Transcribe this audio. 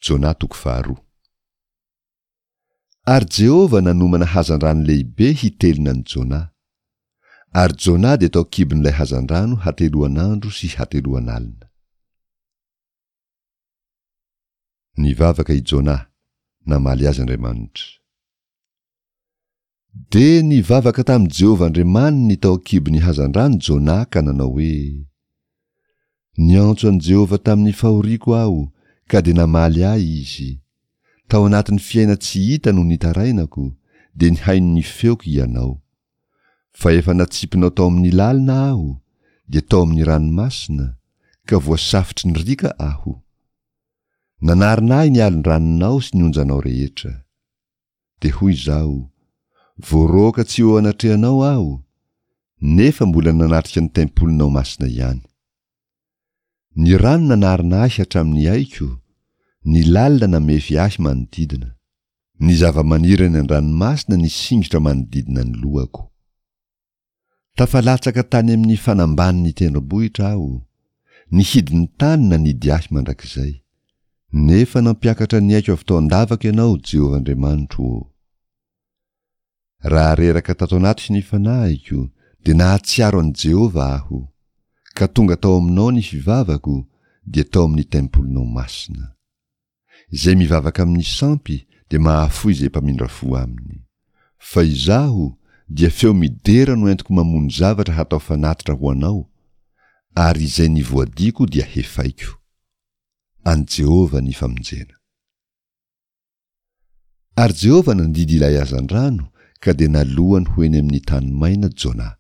Jona toko faharoa. Ary Jehovah nanomana hazandrano lehibe hitelina an'i Jona. Ary Jona dia tao an-kibon'ilay hazandrano hateloan'andro sy hateloan'alina. Nivavaka i Jona, namaly azy Andriamanitra. Dia nivavaka tamin'i Jehovah Andriamaniny tao an-kibon'ny hazandrano Jona ka nanao hoe, Niantso an'i Jehovah tamin'ny fahoriako aho, ka dia namaly ahy Izy. Tao anatin'ny fiaina tsy hita no nitarainako, dia nihaino ny feoko Ianao. Fa efa natsipinao tao amin'ny lalina aho, dia tao amin'ny ranomasina, ka voasafotry ny riaka aho. Nanarona ahy ny alon-dranonao sy ny onjanao rehetra. Dia hoy izaho, Voaroaka tsy eo anatrehanao aho, nefa mbola nanatrika ny tempolinao masina ihany. Ny rano nanarona ahy hatramin'ny aiko, ny lalina namefy ahy manodidina. Ny zavamaniry any an-dranomasina nisingotra manodidina ny lohako. Tafalatsaka tany amin'ny fanambanin'ny tendrombohitra aho, ny hidin'ny tany nanidy ahy mandrakizay. Nefa nampiakatra ny aiko avy tao an-davaka Ianao, Jehovah Andriamanitro ô. Raha reraka tato anatiko ny fanahiko, dia nahatsiaro an'i Jehovah aho, ka tonga tao aminao ny fivavako, dia tao amin'ny tempolinao masina. Izay mivavaka amin'ny sampy dia mahafoy izay mpamindra fo aminy. Fa izaho, dia feo midera no entiko mamono zavatra hatao fanatitra ho anao, ary izay nivoadiako dia hefaiko. An'i Jehovah ny famonjena. Ary Jehovah nandidy ilay hazandrano, ka dia nalohany ho eny amin'ny tany maina Jona.